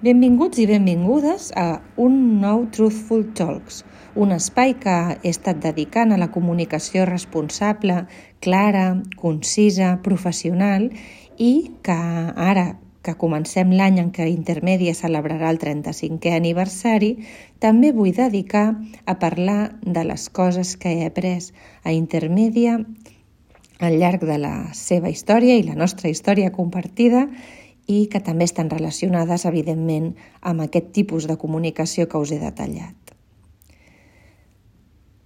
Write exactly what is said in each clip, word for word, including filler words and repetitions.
Benvinguts i benvingudes a un nou Truthful Talks, un espai que he estat dedicant a la comunicació responsable, clara, concisa, professional i que ara que comencem l'any en què Intermèdia celebrarà el trenta-cinquè aniversari, també vull dedicar a parlar de les coses que he après a Intermèdia al llarg de la seva història i la nostra història compartida i que també estan relacionades, evidentment, amb aquest tipus de comunicació que us he detallat.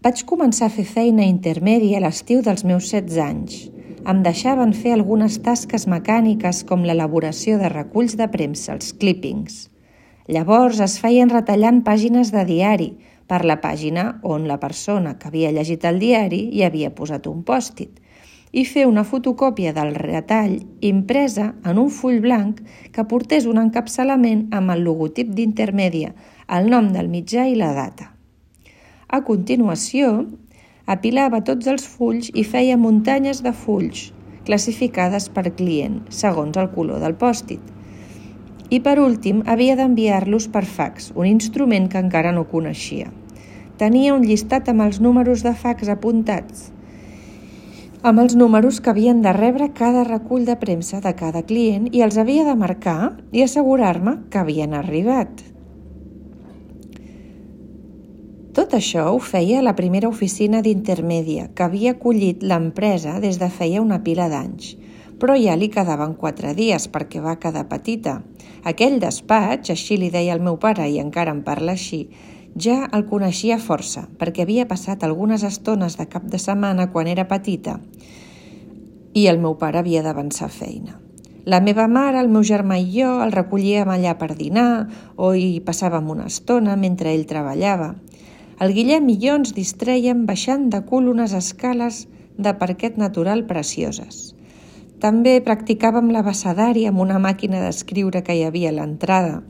Vaig començar a fer feina a Intermèdia a l'estiu dels meus setze anys. Em deixaven fer algunes tasques mecàniques com l'elaboració de reculls de premsa, els clippings. Llavors es feien retallant pàgines de diari per la pàgina on la persona que havia llegit el diari hi havia posat un pòst-it i fer una fotocòpia del retall impresa en un full blanc que portés un encapçalament amb el logotip d'Intermèdia, el nom del mitjà i la data. A continuació, apilava tots els fulls i feia muntanyes de fulls, classificades per client, segons el color del pòst-it. I per últim, havia d'enviar-los per fax, un instrument que encara no coneixia. Tenia un llistat amb els números de fax apuntats, amb els números que havien de rebre cada recull de premsa de cada client i els havia de marcar i assegurar-me que havien arribat. Tot això ho feia a la primera oficina d'Intermèdia, que havia acollit l'empresa des de feia una pila d'anys, però ja li quedaven quatre dies perquè va quedar petita. Aquell despatx, així li deia el meu pare i encara em parla així, ja el coneixia força, perquè havia passat algunes estones de cap de setmana quan era petita i el meu pare havia d'avançar feina. La meva mare, el meu germà i jo el recollíem allà per dinar o hi passàvem una estona mentre ell treballava. El Guillem i jo ens distrèiem baixant de cul unes escales de parquet natural precioses. També practicàvem l'abecedari amb una màquina d'escriure que hi havia a l'entrada,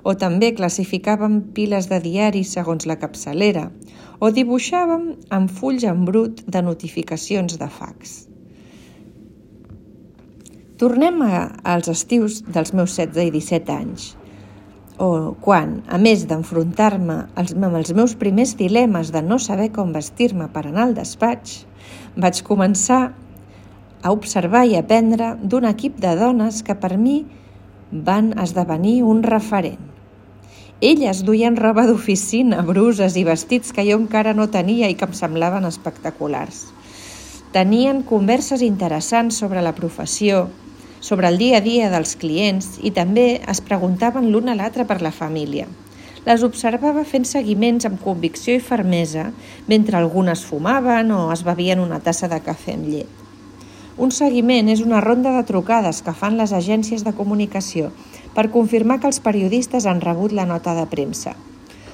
o també classificàvem piles de diaris segons la capçalera, o dibuixàvem amb fulls en brut de notificacions de fax. Tornem a, als estius dels meus setze i disset anys, o quan, a més d'enfrontar-me als, amb els meus primers dilemes de no saber com vestir-me per anar al despatx, vaig començar a observar i aprendre d'un equip de dones que per mi van esdevenir un referent. Elles duien roba d'oficina, bruses i vestits que jo encara no tenia i que em semblaven espectaculars. Tenien converses interessants sobre la professió, sobre el dia a dia dels clients i també es preguntaven l'un a l'altre per la família. Les observava fent seguiments amb convicció i fermesa mentre algunes fumaven o es bevien una tassa de cafè amb llet. Un seguiment és una ronda de trucades que fan les agències de comunicació per confirmar que els periodistes han rebut la nota de premsa.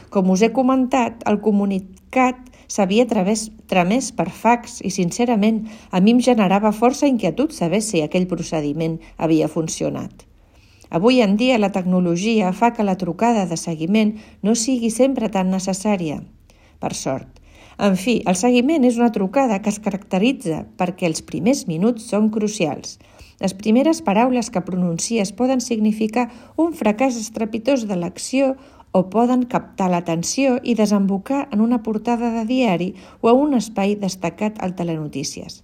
Com us he comentat, el comunicat s'havia tramès per fax i, sincerament, a mi em generava força inquietud saber si aquell procediment havia funcionat. Avui en dia la tecnologia fa que la trucada de seguiment no sigui sempre tan necessària, per sort. En fi, el seguiment és una trucada que es caracteritza perquè els primers minuts són crucials. Les primeres paraules que pronuncies poden significar un fracàs estrepitós de l'acció o poden captar l'atenció i desembocar en una portada de diari o a un espai destacat al Telenotícies.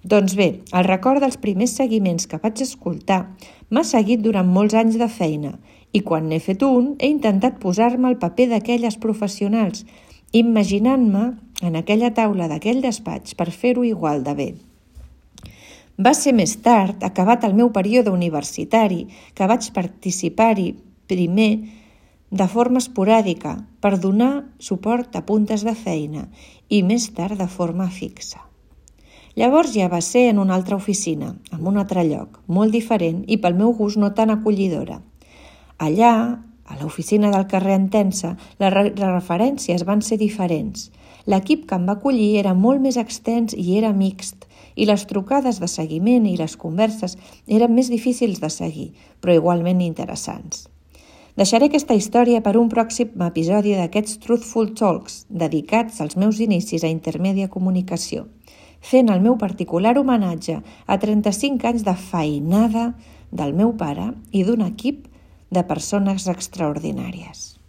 Doncs bé, el record dels primers seguiments que vaig escoltar m'ha seguit durant molts anys de feina i quan n'he fet un he intentat posar-me al paper d'aquelles professionals, imaginant-me en aquella taula d'aquell despatx per fer-ho igual de bé. Va ser més tard, acabat el meu període universitari, que vaig participar-hi primer de forma esporàdica per donar suport a puntes de feina i més tard de forma fixa. Llavors ja va ser en una altra oficina, en un altre lloc, molt diferent i pel meu gust no tan acollidora. Allà, a l'oficina del carrer Entença, les referències van ser diferents. L'equip que em va acollir era molt més extens i era mixt, i les trucades de seguiment i les converses eren més difícils de seguir, però igualment interessants. Deixaré aquesta història per un pròxim episodi d'aquests Truthful Talks, dedicats als meus inicis a Intermèdia Comunicació, fent el meu particular homenatge a trenta-cinc anys de feinada del meu pare i d'un equip de persones extraordinàries.